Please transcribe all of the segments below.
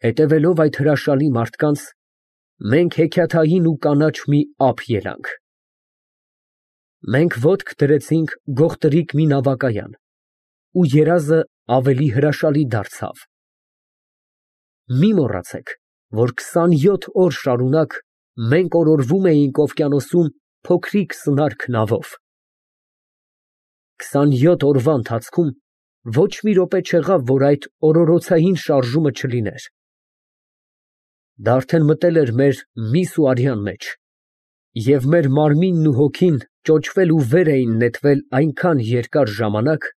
Հետևելով այդ հրաշալի մարդկանց, մենք հեքիաթային ու կանաչ մի ափ ելանք։ Մենք ոտք դրեցինք գողտրիկ մի նավակայան, ու երազը ավելի հրաշալի դարձավ։ Մի մոռացեք, որ 27 օր շարունակ մենք օրորվում էինք օվկիանոսում փոքրիկ սնարք նավով։ 27 օրվա ընթացքում ոչ մի րոպե չեղավ, որ այդ օրորոցային շարժումը չլիներ։ Դա արդեն մտել էր մեր միս ու արյան մեջ, և մեր մարմինն ու հոգին ճոճվել ու վեր էին նետվել այնքան երկար ժամանակ,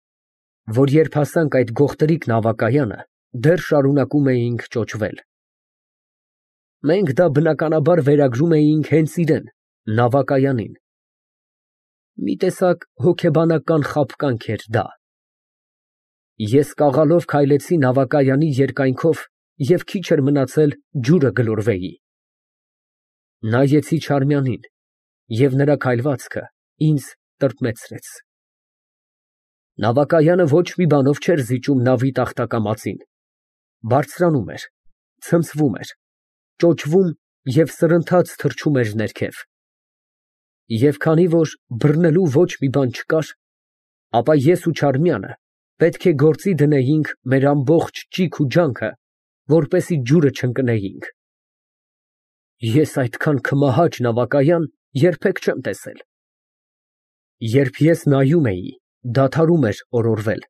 որ երբ հասանք այդ գողտրիկ նավակայանը, դեռ շարունակում էինք ճոճվել։ Մենք դա բնականաբար վերագրում էինք հենց իրան, նավակայանին։ Մի տեսակ հոգեբանական խաբկանք էր դա։ Ես կաղալով քայլեցի նավակայանի երկայնքով և քիչ էր մնացել ջուրը գլորվեի։ Նայեցի Չարմյանին, և նրա քայլվածքը ինձ տրտմեցրեց։ Նավակայանը ոչ մի բանով չէր զիջում նավի տախտակամածին, բարձրանում էր, ցնցվում էր, ճոճվում և սրընթաց թռչում էր ներքև։ Եվ քանի որ բռնելու ոչ մի բան չկար, ապա ես ու Չարմյանը պետք է գործի դնեինք մեր ամբողջ ճիգ ու ջանքը, որպեսզի ջուրը չընկնեինք։ Ես այդքան քմահաճ նավակայան երբեք չեմ տեսել։ Երբ ես նայում էի, դադարում էր օրորվել,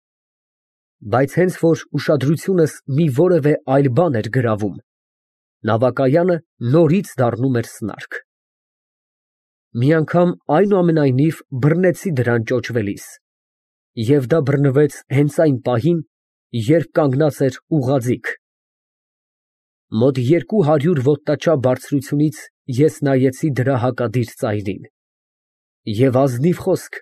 բայց հենց որ ուշադրությունս մի որևէ այլ բան էր գրավում, նավակայանը նորից դառնում էր սնարք։ Մի անգամ այնուամենայնիվ բռնեցի դրան ճոճվելիս, և դա բռնվեց հենց այն պահին, երբ կանգնած էր ուղղաձիգ։ Մոտ 200 ոտնաչափ բարձրությունից ես նայեցի դրա հակադիր ծայրին, և ազնիվ խոսք,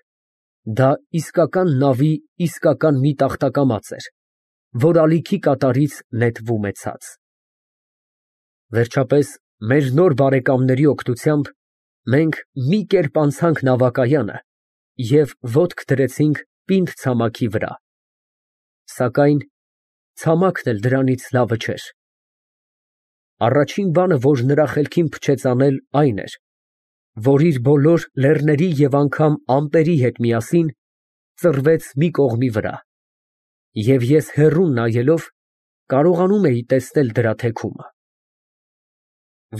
դա իսկական նավի իսկական մի տախտակամած էր, որ ալիքի կատարից նետվում է ցած։ Վերջապես, մեր նոր բարեկամների օգնությամբ մենք մի կերպ անցանք նավակայանը և ոտք դրեցինք պինդ ցամաքի վրա, սակայն ցամաքն էլ դրանից լավը չէր։ Առաջին բանը, որ նրա խելքին փչեց անել, այն էր, որ իր բոլոր լեռների և անգամ ամպերի հետ միասին ծռվեց մի կողմի վրա, և ես հեռուն նայելով կարողանում էի տեսնել դրա թեքումը։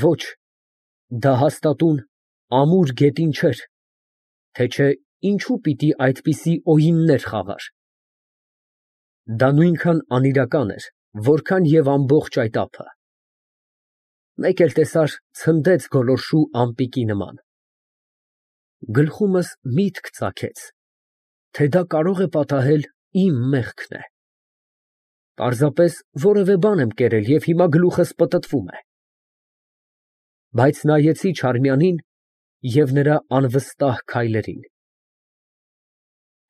Ոչ, դա հաստատուն ամուր գետին չէր, թե չէ ինչու պիտի այդպիսի օյիններ խաղար։ Դա նույնքան անիրական էր, որքան և ամբողջ այդ ափը։ Մեկ էլ տեսար ցնդեց գոլորշու ամպիկի նման։ Գլխումս միտք ծագեց, թե դա կարող է պատահել իմ մեղքն է։ Պարզապես որևէ բան եմ կերել և հիմա գլուխս պտտվում է։ Բայց նայեցի Չարմյանին և նրա անվստահ քայլերին։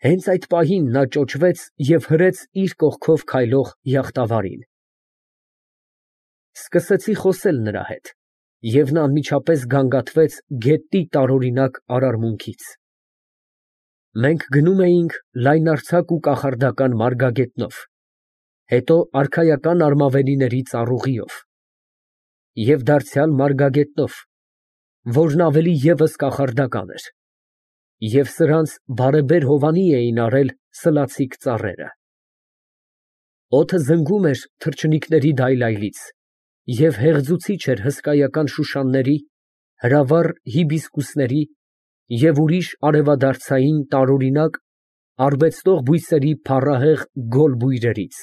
Հենց այդ պահին նա ճոճվեց և հրեց իր կողքով քայլող յախտավարին։ Սկսեցի խոսել նրա հետ, և նա անմիջապես գանգատվեց գետնի տարօրինակ արարմունքից։ Մենք գնում էինք լայնարձակ ու կախարդական մարգագետնով, հետո արքայական արմավենիների ծառուղիով և դարձյալ մարգագետնով, որն ավելի ևս կախարդական էր, և սրանց բարեբեր հովանի էին արել սլացիկ ծառերը։ Օդը զնգում էր թռչնիկների դայլայլից և հեղձուցիչ էր հսկայական շուշանների, հրավառ հիբիսկուսների և ուրիշ արևադարձային տարօրինակ արբեցնող բույսերի փառահեղ գոլ բույրերից։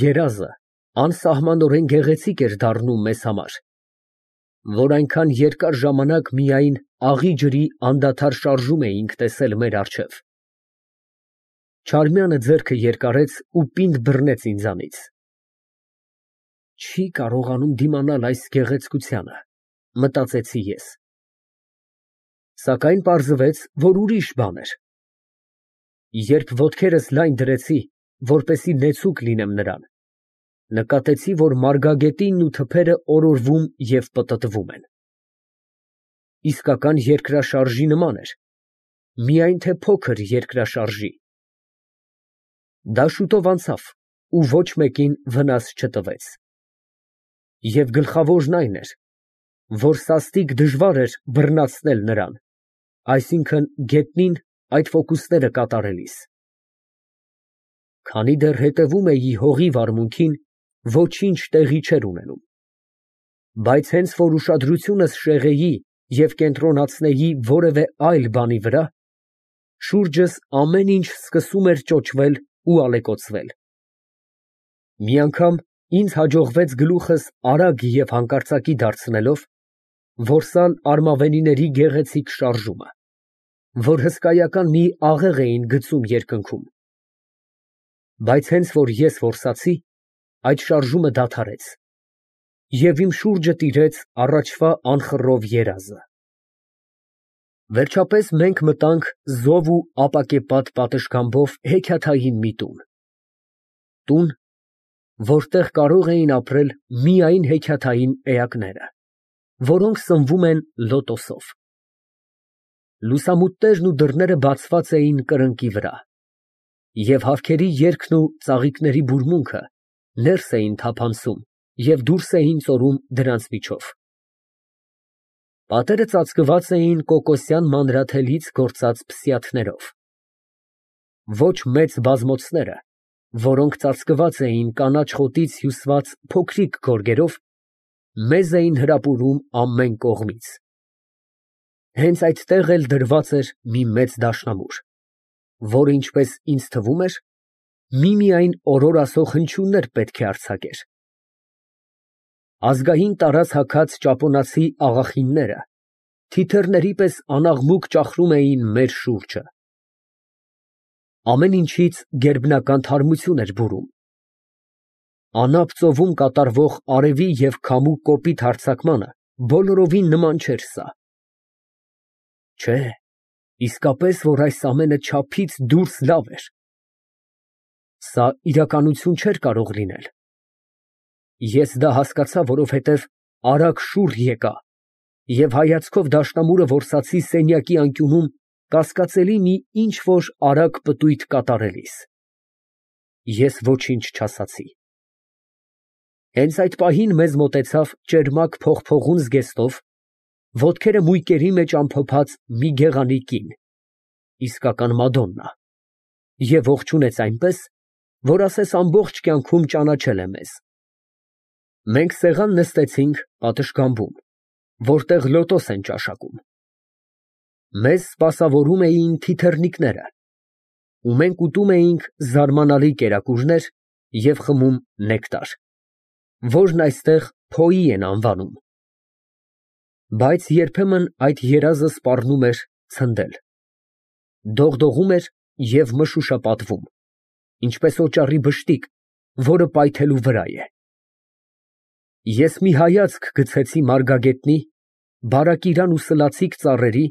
Երազը անսահմանորեն գեղեցիկ էր դառնում մեզ համար, որ այնքան երկար ժամանակ միայն աղի ջրի անդադար շարժում էինք տեսել մեր առջև։ Չարմյանը ձեռքը երկարեց ու պինդ բռնեց ինձանից։ Չի կարողանում դիմանալ այս գեղեցկությանը, մտածեցի ես։ Սակայն պարզվեց, որ ուրիշ բան էր։ Երբ ոտքերս լայն դրեցի, որպեսզի նեցուկ լինեմ նրան, նկատեցի, որ մարգագետինն ու թփերը օրորվում և պտտվում են։ Իսկական երկրաշարժի նման էր, միայն թե փոքր երկրաշարժի։ Դա շուտով անցավ ու ոչ մեկին վնաս չտվեց։ Եվ գլխավորն այն էր, որ սաստիկ դժվար էր բռնացնել նրան, այսինքն գետնին այդ ֆոկուսները կատարելիս։ Քանի դեռ հետևում էի հողի վարմունքին, ոչինչ տեղի չէր ունենում, բայց հենց որ ուշադրությունս շեղեի և կենտրոնացնեի որևէ այլ բանի վրա, շուրջս ամեն ինչ սկսում էր ճոճվել ու ալեկոծվել։ Մի անգամ ինձ հաջողվեց գլուխս արագ և հանկարծակի դարձնելով, որսալ արմավենիների գեղեցիկ շարժումը, որ հսկայական մի աղեղ էին գցում երկնքում, բայց հենց որ ես որսացի, այդ շարժումը դադարեց, և իմ շուրջը տիրեց առաջվա անխռով երազը։ Վերջապես մենք մտանք զով ու ապակեպատ պատշգամբով հեքիաթային մի տուն, որտեղ կարող էին ապրել միայն հեքիաթային էակները, որոնք սնվում են լոտոսով։ Լուսամուտներն ու դռները բացված էին կրկնակի վրա, և հավքերի երգն ու ծաղիկների բուրմունքը ներս էին թափանցում և դուրս էին ծորում դրանց միջով։ Պատերը ծածկված էին կոկոսյան մանրաթելից գործած փսիաթներով։ Ոչ մեծ բազմոցները, որոնք ծածկված էին կանաչ խոտից հյուսված փոքրիկ գորգերով, մեզ էին հրապուրում ամեն կողմից։ Հենց այդտեղ էլ դրված էր մի մեծ դաշնամուր, որը, ինչպես ինձ թվում էր, միմիայն օրոր ասող հնչյուններ պետք է արձակեր։ Ազգային տարազ հագած ճապոնացի աղախինները թիթեռների պես անաղմուկ ճախրում էին մեր շուրջը։ Ամեն ինչից գերբնական թարմություն էր բուրում։ Անապ ծովում կատարվող արևի և քամու կոպիտ հարձակմանը բոլորովին նման չէր սա։ Չէ, իսկապես որ այս ամենը չափից դուրս լավ էր։ Սա իրականություն չէր կարող լինել։ Ես դա հասկացա, որովհետև արագ շուռ եկա և հայացքով դաշնամուրը որսացի սենյակի անկյունում կասկածելի մի ինչ֊որ արագ պտույտ կատարելիս։ Ես ոչինչ չասացի։ Հենց այդ պահին մեզ մոտեցավ ճերմակ փողփողուն զգեստով, ոտքերը մույկերի մեջ ամփոփած մի գեղանի կին, իսկական մադոննա, և ողջունեց այնպես, որ ասես ամբողջ կյանքում ճանաչել է մեզ։ Մենք սեղան նստեցինք պատշգամբում, որտեղ լոտոս են ճաշակում։ Մեզ սպասավորում էին թիթեռնիկները, ու մենք ուտում էինք զարմանալի կերակուրներ և խմում նեկտար, որն այստեղ փոյի են անվանում։ Բայց երբեմն այդ երազը սպառնում էր ցնդել, դողդողում էր և մշուշապատվում, ինչպես օճառի բշտիկ, որը պայթելու վրա է։ Ես մի հայացք գցեցի մարգագետնի, բարակիրան ու սլացիկ ծառերի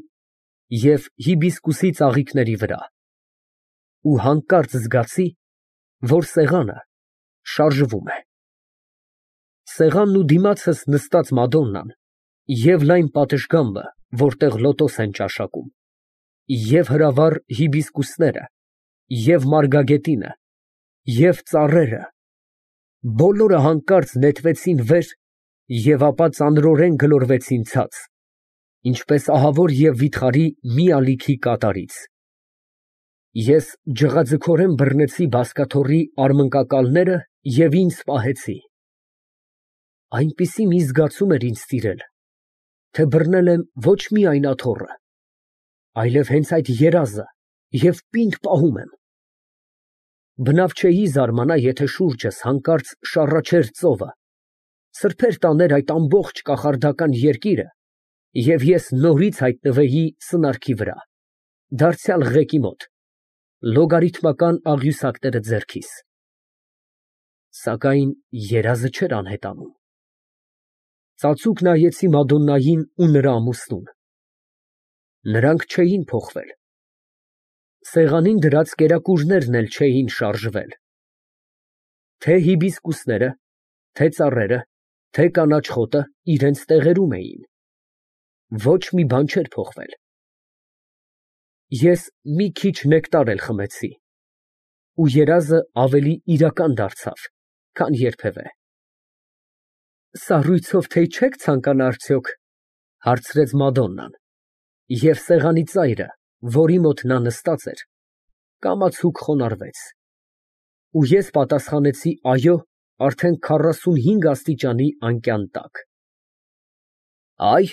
և հիբիսկուսի ծաղիկների վրա ու հանկարծ զգացի, որ սեղանը շարժվում է։ Սեղանն ու դիմացս նստած մադոննան և լայն պատշգամբը, որտեղ լոտոս են ճաշակում, և հրավառ հիբիսկուսները, և մարգագետինը, և ծառերը, բոլորը հանկարծ նետվեցին վեր և ապա ծանրորեն գլորվեցին ցած, ինչպես ահավոր և վիթխարի մի ալիքի կատարից։ Ես ջղաձգորեն բռնեցի բազկաթոռի արմնկակալները և ինձ պահեցի։ Այնպիսի մի զգացում էր ինձ տիրել, թե բռնել եմ ոչ միայն աթոռը, այլև հենց այդ երազը և պինդ պահում եմ։ Բնավ չէի զարմանա, եթե շուրջս հանկարծ շառաչեր ծովը, սրբեր տաներ այդ ամբողջ կախարդական երկիրը, և ես նորից հայտնվեի սնարքի վրա, դարձյալ ղեկի մոտ, լոգարիթմական աղյուսակները ձեռքիս։ Սակայն երազը չէր անհետանում։ Ծածուկ նայեցի մադոննային ու նրա ամուսնուն։ Նրանք չէին փոխվել։ Սեղանին դրած կերակուրներն էլ չէին շարժվել։ Թե հիբիսկուսները, թե ծառերը, թե կանաչ խոտը իրենց տեղերում էին։ Ոչ մի բան չէր փոխվել։ Ես մի քիչ նեկտար էլ խմեցի, ու երազը ավելի իրական դարձավ, քան երբևէ։ Սառույցով թեյ չեք ցանկանա արդյոք, հարցրեց Մադոննան, և սեղանի ծայրը, որի մոտ նա նստած էր, կամացուկ խոնարհվեց, ու ես պատասխանեցի այո արդեն 45 աստիճանի անկյան տակ։ Այ,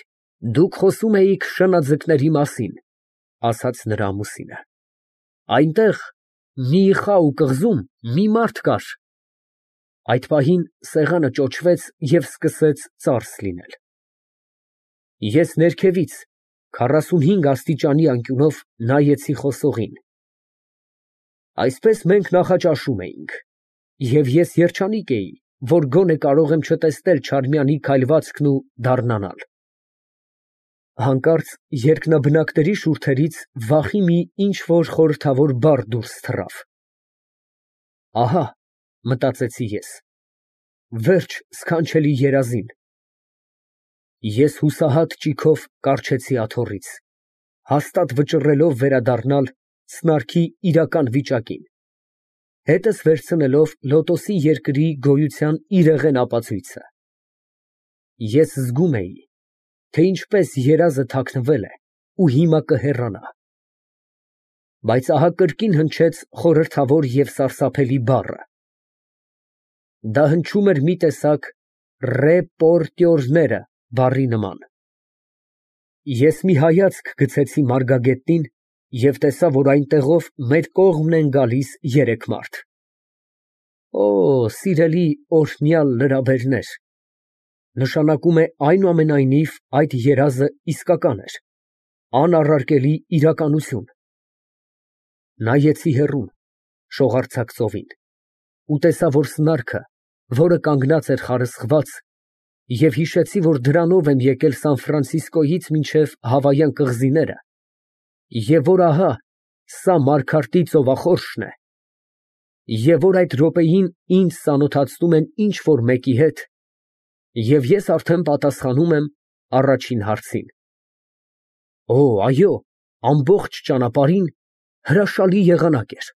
դուք խոսում էիք շնաձկների մասին, ասաց նրա ամուսինը, այնտեղ Միիխաու կղզում մի մարդ կար։ Այդ պահին սեղանը ճոճվեց և սկսեց ծարս լինել։ Ես ներքևից 45 աստիճանի անկյունով նայեցի խոսողին։ Այսպես մենք նախաճաշում էինք, և ես երջանիկ էի, որ գոնե կարող եմ չտեսնել Չարմյանի քայլվածքն ու դառնանալ։ Հանկարծ երկնաբնակների շուրթերից վախի մի ինչ֊որ խորհրդավոր բառ դուրս թռավ։ Ահա, մտածեցի ես, վերջ սքանչելի երազին։ Ես հուսահատ ճիգով կառչեցի աթոռից, հաստատ վճռելով վերադառնալ սնարքի իրական վիճակին, հետս վերցնելով լոտոսի երկրի գոյության իրեղեն ապացույցը։ Ես զգում էի, թե ինչպես երազը թաքնվել է ու հիմա կհեռանա։ Բայց ահա կրկին հնչեց խորհրդավոր և սարսափելի բառը։ Դա հնչում էր մի տեսակ ռեպորտյորները բառի նման։ Ես մի հայացք գցեցի մարգագետին և տեսա, որ այնտեղով մեր կողմն են գալիս երեք մարդ։ Օ, սիրելի օրհնյալ լրաբերներ, նշանակում է այնուամենայնիվ այդ երազը իսկական էր, անառարկելի իրականություն։ Նայեցի հեռուն, շողարձակ ծովին, ու տեսա, որ սնարքը, որը կանգնած էր խարսխված, և հիշեցի, որ դրանով եմ եկել Սան Ֆրանցիսկոյից մինչև Հավայան կղզիները, և որ ահա սա Մարգարտի ծովախորշն է, և որ այդ րոպեին ինձ ծանոթացնում են ինչ֊որ մեկի հետ, և ես արդեն պատասխանում եմ առաջին հարցին։ Օ, այո, ամբողջ ճանապարհին հրաշալի եղանակ էր։